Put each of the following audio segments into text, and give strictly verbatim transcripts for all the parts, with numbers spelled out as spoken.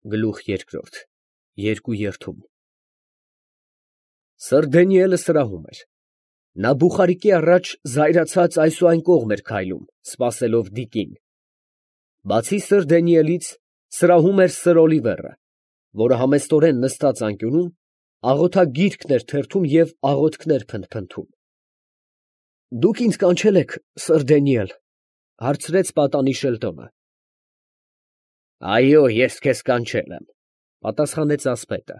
Գլուխ երկրորդ, երկու երդում։ Սըր Դանիելը սրահում էր։ Նա բուխարիկի առաջ զայրացած այս ու այն կողմ էր քայլում, սպասելով դիկին։ Բացի սըր Դանիելից, սրահում էր սըր Օլիվերը, որը համեստորեն նստած անկյունում, աղոթագիրքն էր թերթում և աղոթքներ փնթփնթում։ Դուք ինձ կանչել եք, սըր Դանիել, ֊ հարցրեց պատանի շելտոնը։ Այո, ես քեզ կանչել եմ, ֊ պատասխանեց ասպետը։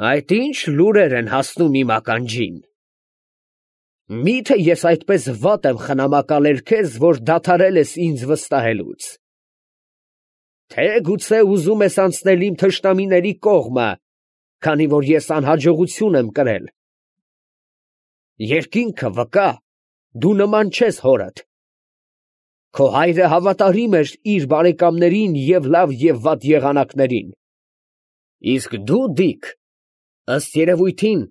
Այդ ի՞նչ լուրեր են հասնում իմ ականջին։ Մի՞թե ես այդպես վատ եմ խնամակալել քեզ, որ դադարել ես ինձ վստահելուց։ Թե գուցե ուզում ես անցնել իմ թշնամիների կողմը, քանի որ ես անհաջողություն եմ կրել։ Երկինքը վկա, դու նման չես հորդ։ Քո հայրը հավատարիմ էր իր բարեկամներին և լավ և վատ եղանակներին։ Իսկ դու, Դիկ, ըստ երևույթին,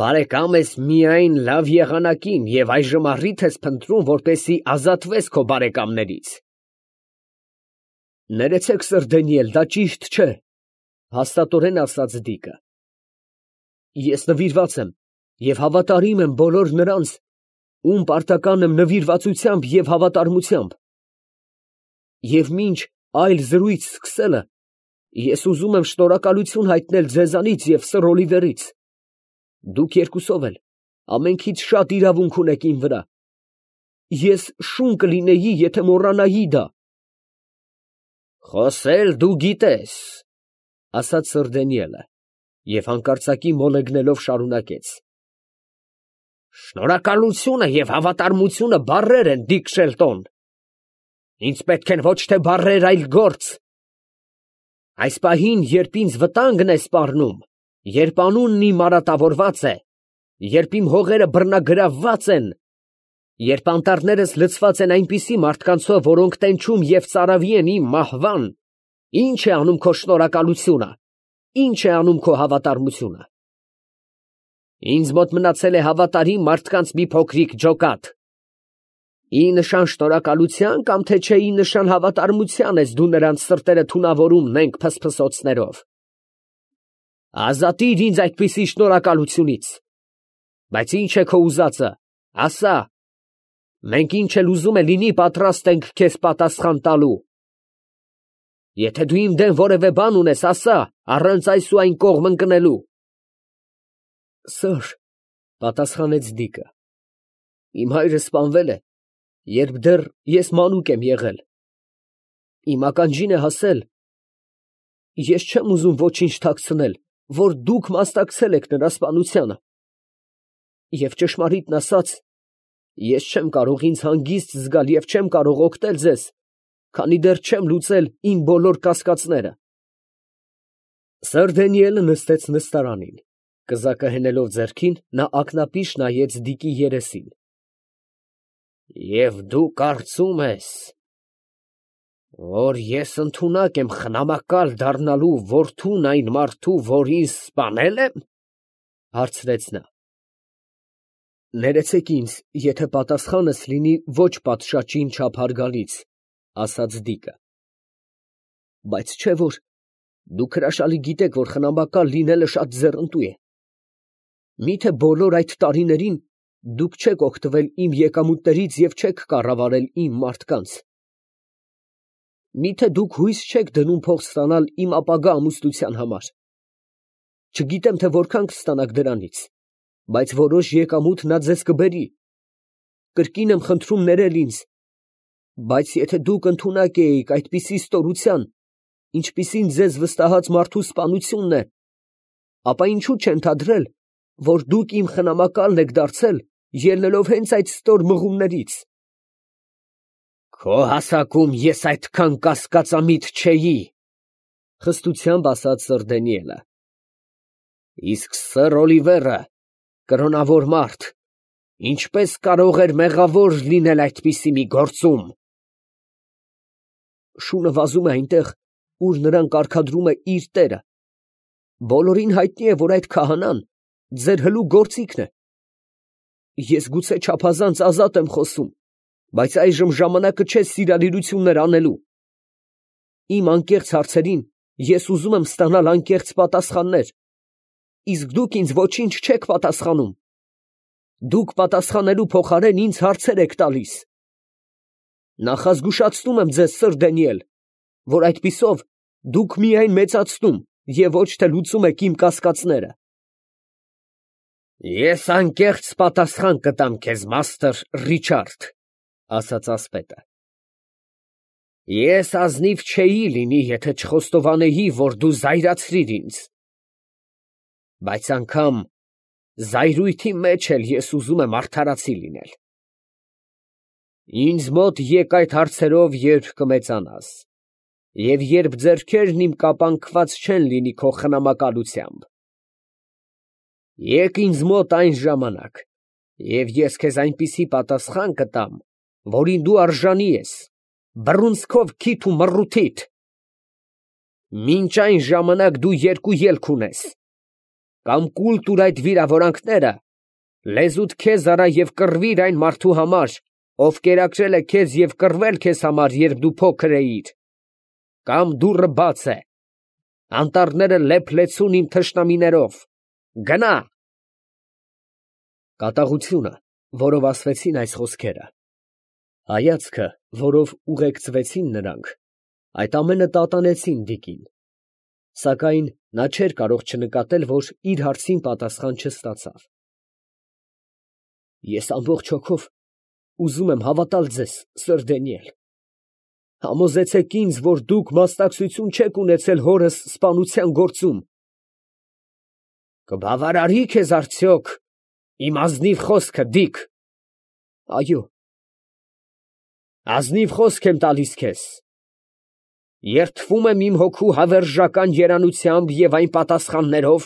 բարեկամ ես միայն լավ եղանակին և այժմ առիթ ես փնտրում, որպեսզի ազատվես քո բարեկամներից։ Ներեցեք, սըր Դանիել, դա ճիշտ չէ, ֊ հաստատորեն ասաց Դիկը։ Ես նվիրված եմ և հավատարիմ եմ բոլոր նրանց, ում պարտական եմ նվիրվածությամբ և հավատարմությամբ։ Եվ մինչ այլ զրույց սկսելը, ես ուզում եմ շնորհակալություն հայտնել ձեզանից և սըր Օլիվերից։ Դուք երկուսով էլ ամենքից շատ իրավունք ունեք իմ վրա։ Ես շուն կլինեի, եթե մոռանայի դա։ Խոսել դու գիտես, ֊ ասաց սըր Դանիելը և հանկարծակի մոլեգնելով շարունակեց. Շնորհակալությունը և հավատարմությունը բառեր են, Դիկ Շելտոն։ Ինձ պետք են ոչ թե բառեր, այլ գործ։ Այս պահին, երբ ինձ վտանգն է սպառնում, երբ անունն իմ արատավորված է, երբ իմ հողերը բռնագրավված են, երբ անտառներս լցված են այնպիսի մարդկանցով, որոնք տենչում և ծարավի են իմ մահվան, ի՞նչ է անում քո շնորհակալությունը, ի՞նչ է անում քո հավատարմությունը։ Ինձ մոտ մնացել է հավատարիմ մարդկանց մի փոքրիկ ջոկատ։ Ի նշան շնորհակալության կամ թե չէ ի նշան հավատարմության ես դու նրանց սրտերը թունավորում նենգ փսփսոցներով։ Ազատիր ինձ այդպիսի շնորհակալությունից։ Բայց ի՞նչ է քո ուզածը, ասա։ Մենք ինչ էլ ուզում է լինի, պատրաստ ենք քեզ պատասխան տալու։ Եթե դու իմ դեմ որևէ բան ունես, ասա, առանց այս ու այն կողմ ընկնելու։ Սըր, ֊ պատասխանեց Դիկը, իմ հայրը սպանվել է, երբ դեռ ես մանուկ եմ եղել։ Իմ ականջին է հասել։ Ես չեմ ուզում ոչինչ թաքցնել, որ դուք մասնակցել եք նրա սպանությանը։ Եվ ճշմարիտն ասած, ես չեմ կարող ինձ հանգիստ զգալ և չեմ կարող օգնել ձեզ, քանի դեռ չեմ լուծել իմ բոլոր կասկածները։ Սըր Դանիելը նստեց նստարանին, կզակը հենելով ձեռքին, նա ակնապիշ նայեց Դիկի երեսին։ Եվ դու կարծում ես, որ ես ընդունակ եմ խնամակալ դառնալու որդուն այն մարդու, որ ինձ սպանել եմ, ֊ հարցրեց նա։ Ներեցեք ինձ, եթե պատասխանս լինի ոչ պատշաճին չափ հարգալից, ֊ ասաց Դիկը։ Բայց չէ՞ որ դուք հրաշալի գիտեք, որ խնամակալ լինելը շատ ձեռնտու է։ Մի՞թե բոլոր այդ տարիներին դուք չեք օգտվել իմ եկամուտներից և չեք կառավարել իմ մարդկանց։ Մի՞թե դուք հույս չեք դնում փող ստանալ իմ ապագա ամուսնության համար։ Չգիտեմ, թե որքան կստանաք դրանից, բայց որոշ եկամուտ նա ձեզ կբերի։ Կրկին եմ խնդրում ներել ինձ։ Բայց եթե դուք ընդունակ էիք այդպիսի ստորության, ինչպիսին ձեզ վստահած մարդու սպանությունն է, ապա ինչո՞ւ չընդհանրել, որ դուք իմ խնամակալն եք դարձել, ելնելով հենց այդ ստոր մղումներից։ Քո հասակում ես այդքան կասկածամիտ չէի, ֊ խստությամբ ասաց սըր Դանիելը։ Իսկ սըր Օլիվերը, կրոնավոր մարդ, ինչպես կարող էր մեղավոր լինել այդպիսի մի գործում։ Շունը վազում է այնտեղ, ուր նրան կարգադրում է իր տերը։ Բոլորին հայտնի է, որ այդ քահանան ձեր հլու գործիքն է։ Ես գուցե չափազանց ազատ եմ խոսում, բայց այժմ ժամանակը չէ սիրալիրություններ անելու։ Իմ անկեղծ հարցերին ես ուզում եմ ստանալ անկեղծ պատասխաններ, իսկ դուք ինձ ոչինչ չեք պատասխանում։ Դուք պատասխանելու փոխարեն ինձ հարցեր եք տալիս։ Նախազգուշացնում եմ ձեզ, սըր Դանիել, որ այդպիսով դուք միայն մեծացնում և ոչ թե լուծում եք իմ կասկածները։ Ես անկեղծ պատասխան կտամ քեզ, մաստր Ռիչարդ, ասաց ասպետը։ Ես ազնիվ չէի լինի, եթե չխոստովանեի, որ դու զայրացրիր ինձ։ Բայց անգամ զայրույթի մեջ էլ ես ուզում եմ արդարացի լինել։ Ինձ մոտ եկ այդ հարցերով, երբ կմեծանաս, և երբ ձեռքերն իմ կապանքված չեն լինի քո խնամակալությամբ։ Եկ ինձ մոտ այն ժամանակ, և ես քեզ այնպիսի պատասխան կտամ, որին դու արժանի ես, բռունցքով քիթ ու մռութիդ։ Մինչ այն ժամանակ դու երկու ելք ունես. կամ կուլ տուր այդ վիրավորանքները, լեզուդ քեզ արա և կռվիր այն մարդու համար, ով կերակրել է քեզ և կռվել քեզ համար, երբ դու փոքր էիր, կամ դուռը բաց է, անտառները լեփ-լեցուն իմ թշնամիներով, գնա։ Կատաղությունը, որով ասվեցին այս խոսքերը, հայացքը, որով ուղեկցվեցին նրանք, այդ ամենը տատանեցին Դիկին, սակայն նա չէր կարող չնկատել, որ իր հարցին պատասխան չստացավ։ Ես ամբողջ հոգով ուզում եմ հավատալ ձեզ, սըր Դանիել, համոզեցեք ինձ, որ դուք մասնակցություն չեք ունեցել հորս սպանության գործում։ Կբավարարի՞ քեզ արդյոք իմ ազնիվ խոսքը, Դիկ։ Այո։ Ազնիվ խոսք եմ տալիս քեզ։ Երդվում եմ իմ հոգու հավերժական երանությամբ և այն պատասխաններով,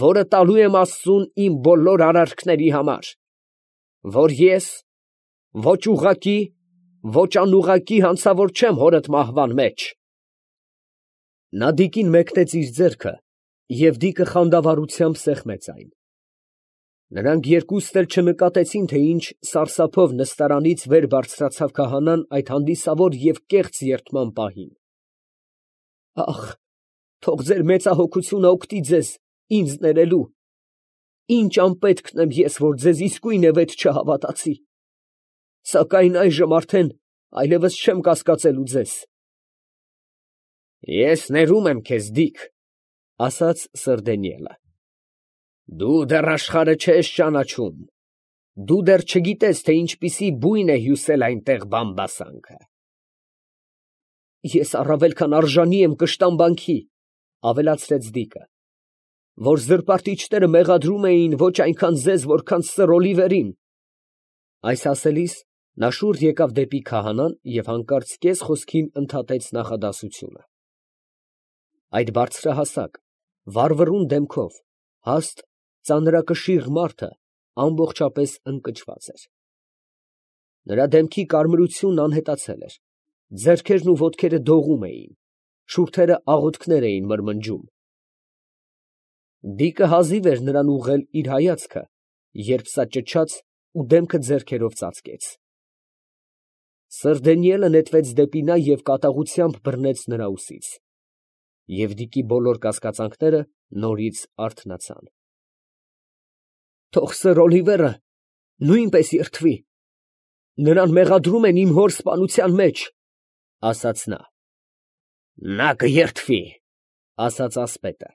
որը տալու եմ Աստծուն իմ բոլոր արարքների համար, որ ես ոչ ուղղակի, ոչ անուղղակի հանցավոր չեմ հորդ մահվան մեջ։ Նա Դիկին մեկնեց իր ձեռքը, և Դիկը խանդավառությամբ սեղմեց այն։ Նրանք երկուստ էլ չնկատեցին, թե ինչ սարսափով նստարանից վեր բարձրացավ քահանան այդ հանդիսավոր և կեղծ երդման պահին։ Ախ, թող ձեր մեծահոգությունը օգտի ձեզ ինձ ներելու։ Ինչ անպետքն եմ ես, որ ձեզ իսկույն է վեճ չհավատացի, սակայն այժմ արդեն այլևս չեմ կասկածելու ձեզ։ Ես ներում եմ քեզ, Դիկ, ասաց սըր Դանիելը։ Դու դեռ աշխարհը չես ճանաչում, դու դեռ չգիտես, թե ինչպիսի բույն է հյուսել այնտեղ բամբասանքը։ Ես առավել քան արժանի եմ կշտամբանքի, ավելացրեց Դիկը, որ զրպարտիչները մեղադրում էին ոչ այնքան ձեզ, որքան սըր Օլիվերին։ Այս ասելիս նա շուռ եկավ դեպի քահանան և հանկարծ կես խոսքին ընդհատեց նախադասությունը։ Այդ բարձրահասակ, վառվռուն դեմքով, հաստ, ծանրակշիռ մարդը ամբողջապես ընկճված էր։ Նրա դեմքի կարմրությունն անհետացել էր, ձեռքերն ու ոտքերը դողում էին, շուրթերը աղոթքներ էին մրմնջում։ Դիկը հազիվ էր նրան ուղղել իր հայացքը, երբ սա ճչաց ու դեմքը ձեռքերով ծածկեց։ Սըր Դանիելը նետվեց դեպի նա և կատաղությամբ բռնեց նրա ուսից։ Եվ Դիկի բոլոր կասկածանքները նորից արթնացան։ Թող սըր Օլիվերը նույնպես երդվի, նրան մեղադրում են իմ հոր սպանության մեջ, ասաց նա։ Նա կերդվի, ասաց ասպետը։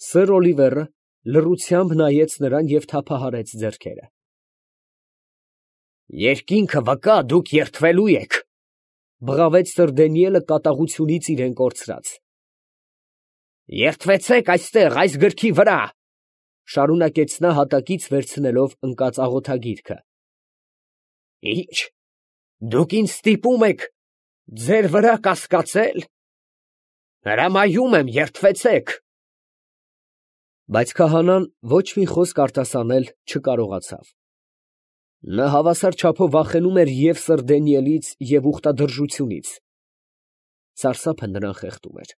Սըր Օլիվերը լռությամբ նայեց նրան և թափահարեց ձեռքերը։ Երկինքը վկա, դուք երդվելու եք, բղավեց սըր Դանիելը կատաղությունից իրեն կորցրած։ Երդվեցեք այստեղ, այս գրքի վրա, շարունակեց նա հատակից վերցնելով ընկած աղոթագիրքը։ Ի՞նչ, դուք ինձ ստիպում եք ձեր վրա կասկածել։ Հրամայում եմ, երդվեցեք։ Բայց քահանան ոչ մի խոսք արտասանել չկարողացավ։ Նա հավասար չափով վախենում էր և սըր Դանիելից, և ուխտադրժությունից։ Սարսափը նրան խեղդում էր։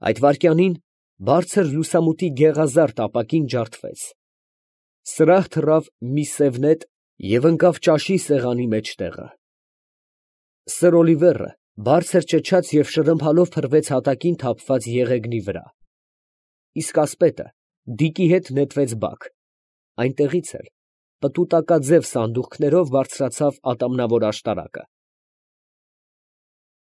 Այդ վայրկյանին բարձր լուսամուտի գեղազարդ ապակին ջարդվեց։ Սրահ թռավ մի սև նետ և ընկավ ճաշի սեղանի մեջտեղը։ Սըր Օլիվերը Բարձր ճչաց և շրմփալով փռվեց հատակին թափված եղեգնի վրա, իսկ ասպետը դիկի հետ նետվեց բակ, այնտեղից էլ պտուտակաձև սանդուղքներով բարձրացավ ատամնավոր աշտարակը։